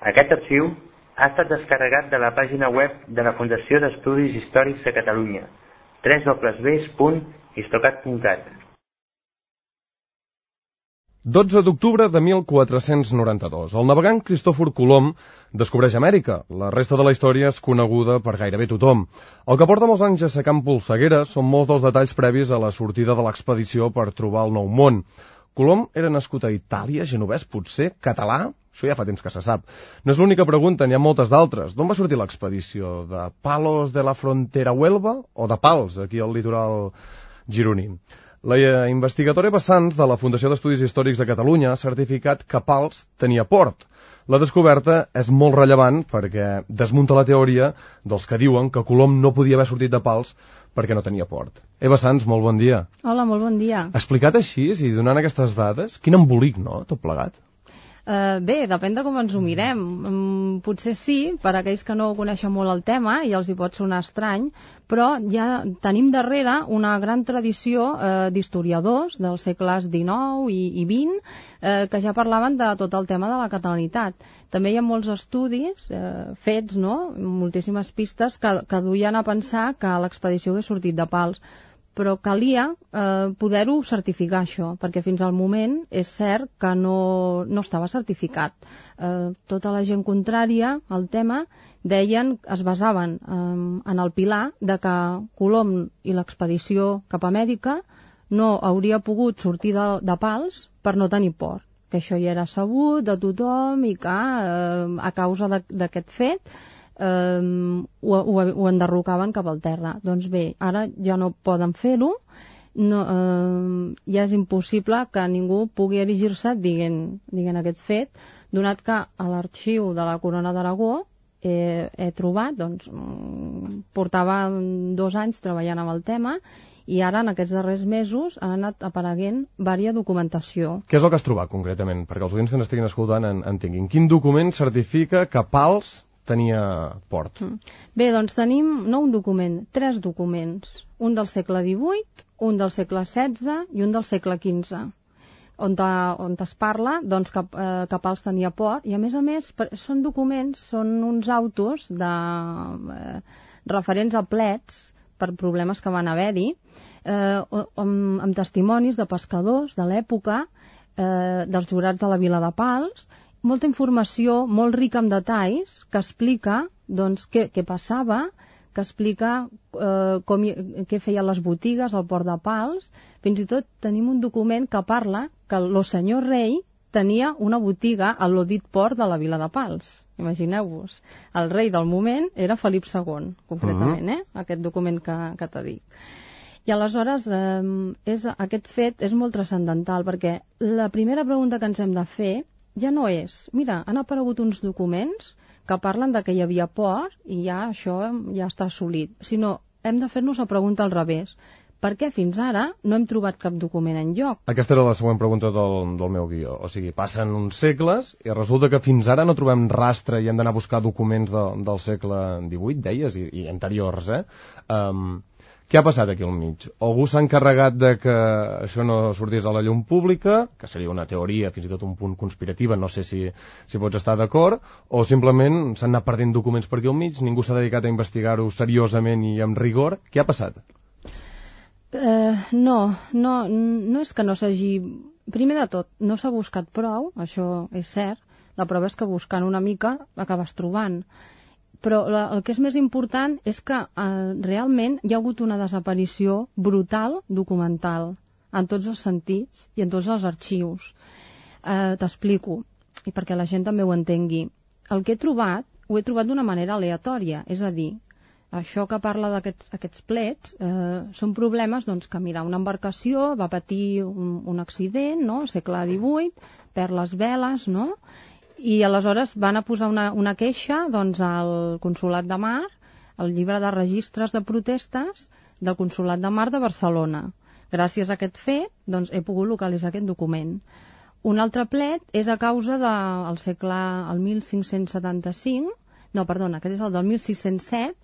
Aquest arxiu ha estat descarregat de la pàgina web de la Fundació d'Estudis Històrics de Catalunya, www.histocat.cat. 12 d'octubre de 1492. El navegant Cristòfor Colom descobreix Amèrica. La resta de la història és coneguda per gairebé tothom. El que porta molts anys assecant polsegueres són molts dels detalls previs a la sortida de l'expedició per trobar el Nou Món. Colom era nascut a Itàlia, genovès, potser, català? Això ja fa temps que se sap. No és l'única pregunta, n'hi ha moltes d'altres. D'on va sortir l'expedició? De Palos de la Frontera Huelva o de Pals, aquí al litoral gironí? La investigadora Eva Sanz, de la Fundació d'Estudis Històrics de Catalunya, ha certificat que Pals tenia port. La descoberta és molt rellevant perquè desmunta la teoria dels que diuen que Colom no podia haver sortit de Pals perquè no tenia port. Eva Sanz, molt bon dia. Hola, molt bon dia. Explicat així i donant aquestes dades, quin embolic, no?, tot plegat. Bé, depèn de com ens ho mirem. Potser sí, per a aquells que no coneixen molt el tema i els hi pot sonar estrany, però ja tenim darrere una gran tradició d'historiadors dels segles XIX i XX que ja parlaven de tot el tema de la catalanitat. També hi ha molts estudis fets, no?, moltíssimes pistes que duien a pensar que l'expedició hagués sortit de Pals, però calia poder-ho certificar, això, perquè fins al moment és cert que no estava certificat. Tota la gent contrària al tema es basaven en el pilar de que Colom i l'expedició cap a Amèrica no hauria pogut sortir de Pals per no tenir port, que això ja era sabut de tothom i que a causa d'aquest fet ho enderrocaven cap al terra. Doncs bé, ara ja no poden fer-ho, ja és impossible que ningú pugui erigir-se dient aquest fet, donat que a l'arxiu de la Corona d'Aragó he trobat, doncs, portava 2 anys treballant amb el tema i ara en aquests darrers mesos han anat apareguent vària documentació. Què és el que has trobat concretament? Perquè els oients que n'estiguin escoltant entenguin. Quin document certifica que Pals tenia port? Bé, doncs tenim no un document, 3 documents. Un del segle XVIII, un del segle XVI i un del segle XV, on es parla doncs, que Pals tenia port, i a més són documents, són uns autos referents a plets per problemes que van haver-hi, amb testimonis de pescadors de l'època, dels jurats de la vila de Pals, molta informació molt rica en detalls que explica doncs, què passava, que explica què feien les botigues al port de Pals. Fins i tot tenim un document que parla que el senyor rei tenia una botiga a l'odit port de la vila de Pals. Imagineu-vos, el rei del moment era Felip II, concretament, aquest document que t'he dit. I aleshores aquest fet és molt transcendental, perquè la primera pregunta que ens hem de fer ja no és, mira, han aparegut uns documents que parlen de que hi havia port i ja això ja està assolit, sinó hem de fer-nos la pregunta al revés. Per què fins ara no hem trobat cap document enlloc? Aquesta era la següent pregunta del meu guió. O sigui, passen uns segles i resulta que fins ara no trobem rastre i hem d'anar a buscar documents del segle XVIII, deies, i anteriors, Què ha passat aquí al mig? Algú s'ha encarregat de que això no sortís a la llum pública, que seria una teoria, fins i tot un punt conspirativa, no sé si pots estar d'acord, o simplement s'han anat perdent documents per aquí al mig, ningú s'ha dedicat a investigar-ho seriosament i amb rigor. Què ha passat? No és que no s'hagi... Primer de tot, no s'ha buscat prou, això és cert, la prova és que buscant una mica l'acabes trobant. Però el que és més important és que realment hi ha hagut una desaparició brutal documental, en tots els sentits i en tots els arxius. T'explico, i perquè la gent també ho entengui. El que he trobat, ho he trobat d'una manera aleatòria, és a dir, això que parla d'aquests plets són problemes doncs, que, mira, una embarcació va patir un accident, no?, al segle XVIII, perd les veles, no?, i aleshores van a posar una queixa doncs, al Consolat de Mar, al llibre de registres de protestes del Consolat de Mar de Barcelona. Gràcies a aquest fet doncs, he pogut localitzar aquest document. Un altre plet és a causa del segle 1575, no, perdona, aquest és el del 1607,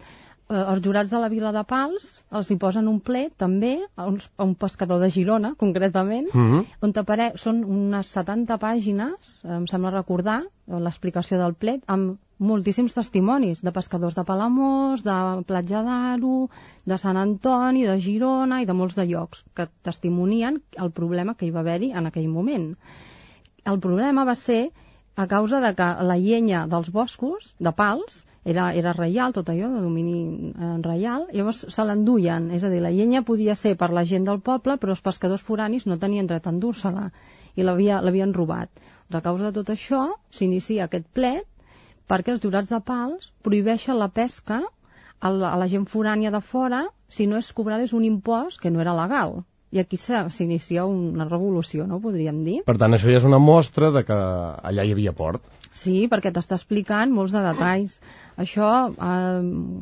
els jurats de la Vila de Pals els hi posen un plet també a un pescador de Girona, concretament, on són unes 70 pàgines, em sembla recordar, l'explicació del plet, amb moltíssims testimonis de pescadors de Palamós, de Platja d'Aro, de Sant Antoni, de Girona i de molts de llocs que testimonien el problema que hi va haver-hi en aquell moment. El problema va ser a causa de que la llenya dels boscos de Pals era reial, tot allò, de domini reial, llavors se l'enduien, és a dir, la llenya podia ser per la gent del poble, però els pescadors foranis no tenien dret a endur-se-la i l'havien robat. A causa de tot això, s'inicia aquest plet perquè els jurats de Pals prohibeixen la pesca a la gent forània de fora si no es cobrés un impost que no era legal. I aquí s'inicia una revolució, no podríem dir? Per tant, això ja és una mostra de que allà hi havia port. Sí, perquè t'està explicant molts de detalls. Això,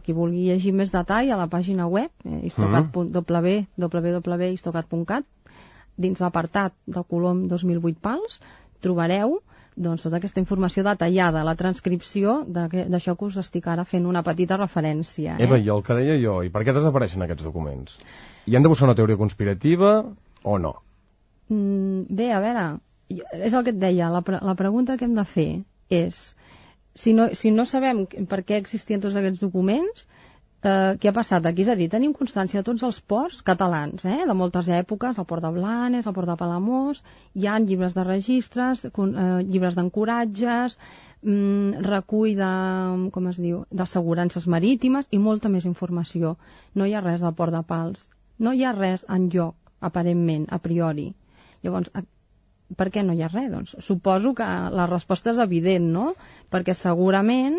qui vulgui llegir més detall, a la pàgina web, www.istocat.cat, dins l'apartat del Colom 2008 Pals, trobareu tota aquesta informació detallada, la transcripció d'això que us estic ara fent una petita referència. Eva, i el que deia jo, i per què desapareixen aquests documents? Hi han de buscar una teoria conspirativa o no? Bé, a veure, és el que et deia, la pregunta que hem de fer és, si no sabem per què existien tots aquests documents, què ha passat aquí? És a dir, tenim constància de tots els ports catalans, de moltes èpoques, el port de Blanes, el port de Palamós, hi ha llibres de registres, llibres d'ancoratges, recull d'assegurances marítimes i molta més informació. No hi ha res del port de Pals, no hi ha res enlloc, aparentment, a priori. Llavors, per què no hi ha res? Doncs suposo que la resposta és evident, no? Perquè segurament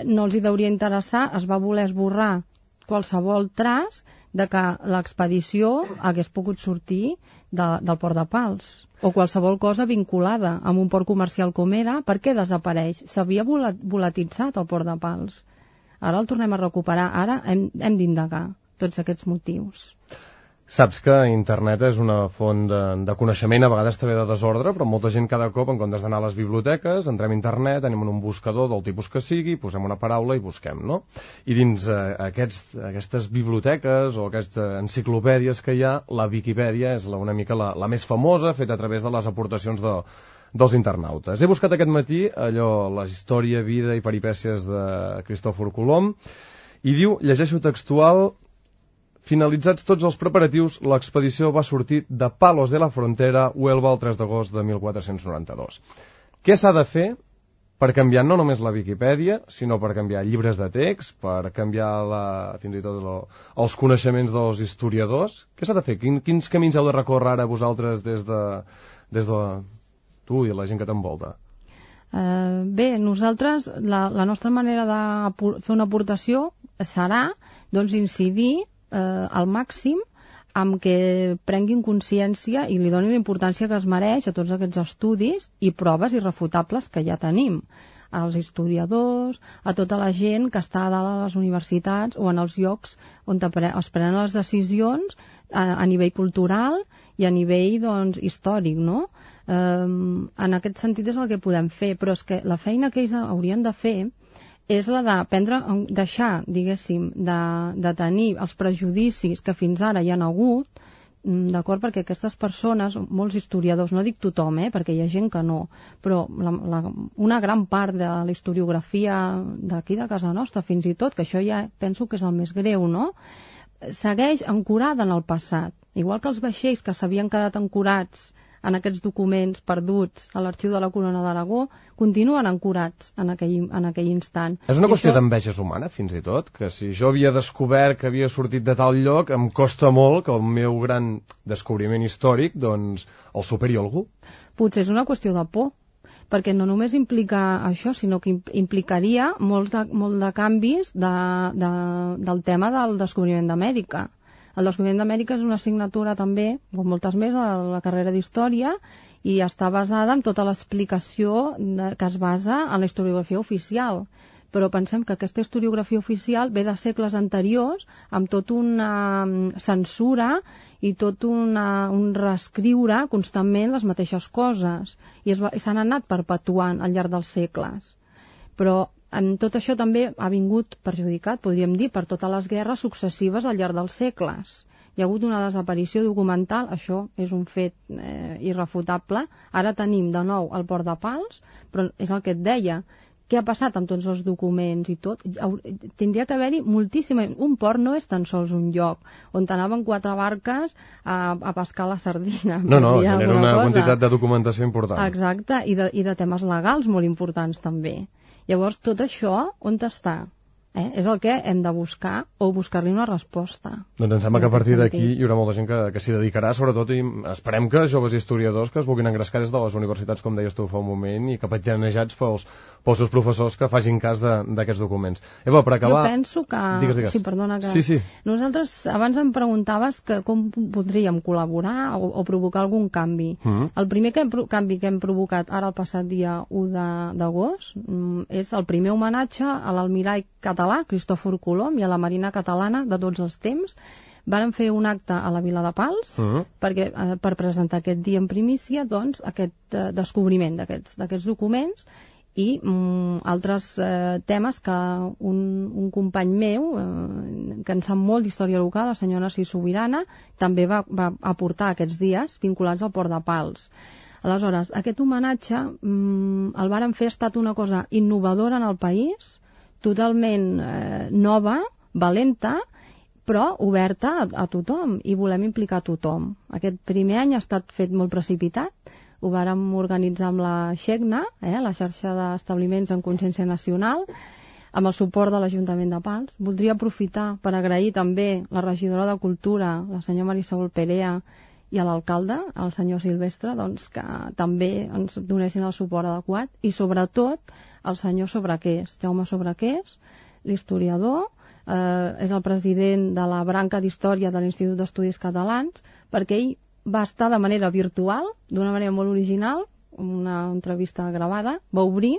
no els hi hauria interessar, es va voler esborrar qualsevol traç de que l'expedició hagués pogut sortir del port de Pals o qualsevol cosa vinculada amb un port comercial com era. Per què desapareix? S'havia volatitzat el port de Pals. Ara el tornem a recuperar. Ara hem d'indagar tots aquests motius. Saps que internet és una font de coneixement, a vegades també de desordre, però molta gent cada cop, en comptes d'anar a les biblioteques, entrem a internet, anem en un buscador del tipus que sigui, posem una paraula i busquem, no? I dins aquestes biblioteques o aquestes enciclopèdies que hi ha, la Viquipèdia és una mica la més famosa, feta a través de les aportacions dels internautes. He buscat aquest matí la història, vida i peripècies de Cristòfor Colom, i diu, llegeixo textual: finalitzats tots els preparatius, l'expedició va sortir de Palos de la Frontera, Huelva, el 3 d'agost de 1492. Què s'ha de fer per canviar no només la Viquipèdia, sinó per canviar llibres de text, per canviar fins i tot els coneixements dels historiadors? Què s'ha de fer? Quins camins heu de recórrer ara vosaltres des de tu i la gent que t'envolta? Bé, nosaltres, la nostra manera de fer una aportació serà incidir al màxim amb que prenguin consciència i li donin la importància que es mereix a tots aquests estudis i proves irrefutables que ja tenim, als historiadors, a tota la gent que està a dalt a les universitats o en els llocs on es prenen les decisions a nivell cultural i a nivell històric, no? En aquest sentit és el que podem fer, però és que la feina que ells haurien de fer és la de deixar, diguéssim, de tenir els prejudicis que fins ara hi han hagut, d'acord? Perquè aquestes persones, molts historiadors, no dic tothom, perquè hi ha gent que no, però una gran part de la historiografia d'aquí de casa nostra, fins i tot, que això ja penso que és el més greu, no? Segueix ancorada en el passat. Igual que els vaixells que s'havien quedat ancorats en aquests documents perduts a l'arxiu de la Corona d'Aragó, continuen ancorats en aquell instant. És una qüestió d'enveges humana, fins i tot, que si jo havia descobert que havia sortit de tal lloc, em costa molt que el meu gran descobriment històric, el superi algú. Potser és una qüestió de por, perquè no només implica això, sinó que implicaria molt de canvis del tema del descobriment d'Amèrica. El descobriment d'Amèrica és una assignatura també, com moltes més, a la carrera d'Història, i està basada en tota l'explicació que es basa en la historiografia oficial. Però pensem que aquesta historiografia oficial ve de segles anteriors, amb tota una censura i tot un reescriure constantment les mateixes coses, i s'han anat perpetuant al llarg dels segles. Però Tot això també ha vingut perjudicat, podríem dir, per totes les guerres successives al llarg dels segles. Hi ha hagut una desaparició documental, això és un fet irrefutable. Ara tenim de nou el Port de Pals, però és el que et deia. Què ha passat amb tots els documents i tot? Tindria que haver-hi moltíssima... Un port no és tan sols un lloc on anaven 4 barques a pescar la sardina. No, genera una quantitat de documentació important. Exacte, i de temes legals molt importants també. Llavors, tot això, on està? És el que hem de buscar o buscar-li una resposta. Doncs em sembla que a partir d'aquí hi haurà molta gent que s'hi dedicarà, sobretot, i esperem que joves historiadors que es vulguin engrescar des de les universitats, com deies tu fa un moment, i capitjanejats pels seus professors que facin cas d'aquests documents. Eva, per acabar... Jo penso que... Digues. Sí, perdona que... Sí. Nosaltres, abans em preguntaves que com podríem col·laborar o provocar algun canvi. El primer canvi que hem provocat ara el passat dia 1 d'agost és el primer homenatge a l'almirall català, Cristòfor Colom, i a la Marina catalana de tots els temps. Varen fer un acte a la Vila de Pals per presentar aquest dia en primícia aquest descobriment d'aquests documents i altres temes que un company meu que en sap molt d'història local, la senyora Narcís Sobirana, també va aportar aquests dies vinculats al Port de Pals. Aleshores, aquest homenatge el varen fer, ha estat una cosa innovadora en el país, totalment nova, valenta, però oberta a tothom, i volem implicar a tothom. Aquest primer any ha estat fet molt precipitat, ho vàrem organitzar amb la XECNA, la xarxa d'establiments en consciència nacional, amb el suport de l'Ajuntament de Pals. Voldria aprofitar per agrair també la regidora de Cultura, la senyora Marisol Perea, i a l'alcalde, el senyor Silvestre, que també ens donessin el suport adequat, i sobretot el senyor Sobrequés, Jaume Sobrequés, l'historiador, és el president de la branca d'Història de l'Institut d'Estudis Catalans, perquè ell va estar de manera virtual, d'una manera molt original, una entrevista gravada, va obrir,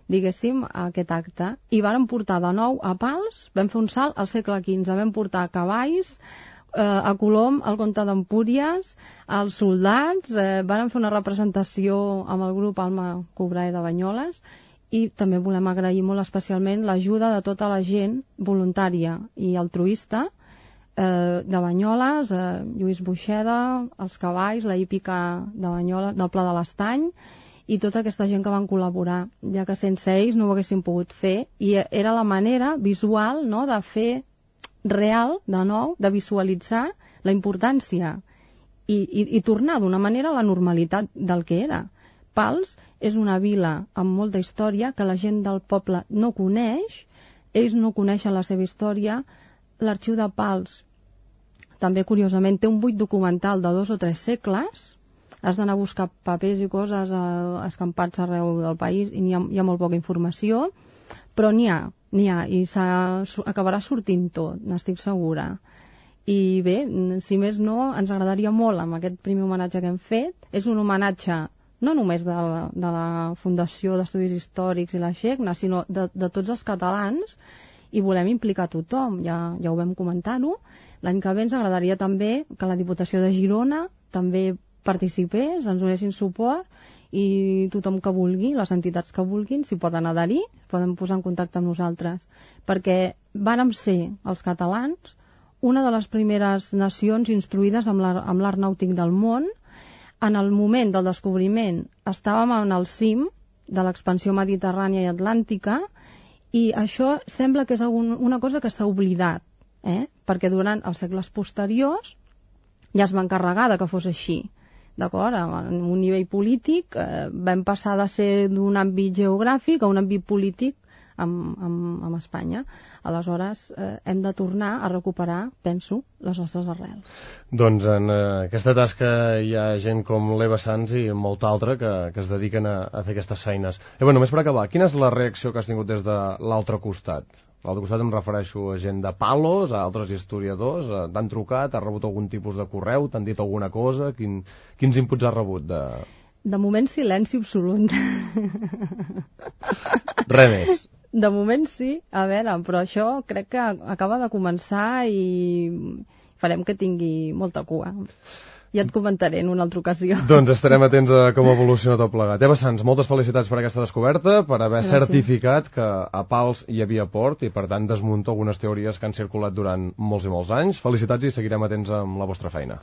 diguéssim, aquest acte, i vàrem portar de nou a Pals, vam fer un salt al segle XV, vam portar cavalls, a Colom, el comte d'Empúries, els soldats, vàrem fer una representació amb el grup Alma Cobrae de Banyoles, i també volem agrair molt especialment l'ajuda de tota la gent voluntària i altruista de Banyoles, Lluís Buixeda, els cavalls, la hípica de Banyoles, del Pla de l'Estany, i tota aquesta gent que van col·laborar, ja que sense ells no ho haguéssim pogut fer, i era la manera visual, no?, de fer real, de nou, de visualitzar la importància i tornar d'una manera a la normalitat del que era. Pals és una vila amb molta història que la gent del poble no coneix, ells no coneixen la seva història. L'arxiu de Pals també, curiosament, té un buit documental de 2 o 3 segles, has d'anar a buscar papers i coses escampats arreu del país i hi ha molt poca informació, però n'hi ha, i acabarà sortint tot, n'estic segura. I bé, si més no, ens agradaria molt amb aquest primer homenatge que hem fet. És un homenatge no només de la Fundació d'Estudis Històrics i la XECNA, sinó de tots els catalans, i volem implicar tothom, ja ho vam comentar-ho. L'any que ve ens agradaria també que la Diputació de Girona també participés, ens donessin suport, i tothom que vulgui, les entitats que vulguin, s'hi poden adherir, poden posar en contacte amb nosaltres, perquè vàrem ser, els catalans, una de les primeres nacions instruïdes amb l'art nàutic del món. En el moment del descobriment estàvem en el cim de l'expansió mediterrània i atlàntica, i això sembla que és una cosa que s'ha oblidat, perquè durant els segles posteriors ja es va encarregar que fos així. D'acord? En un nivell polític vam passar de ser d'un àmbit geogràfic a un àmbit polític amb Espanya. Aleshores, hem de tornar a recuperar, penso, les nostres arrels. Doncs en aquesta tasca hi ha gent com l'Eva Sans i molta altra que es dediquen a fer aquestes feines. Eva, només per acabar, quina és la reacció que has tingut des de l'altre costat? L'altre costat em refereixo a gent de Palos, a altres historiadors. T'han trucat, has rebut algun tipus de correu, t'han dit alguna cosa? Quins inputs has rebut? De moment, silenci absolut. Res més. De moment sí, a veure, però això crec que acaba de començar i farem que tingui molta cua. Ja et comentaré en una altra ocasió. Doncs estarem atents a com evoluciona tot plegat. Eva Sans, moltes felicitats per aquesta descoberta, per haver certificat que a Pals hi havia port i, per tant, desmunta algunes teories que han circulat durant molts i molts anys. Felicitats i seguirem atents amb la vostra feina.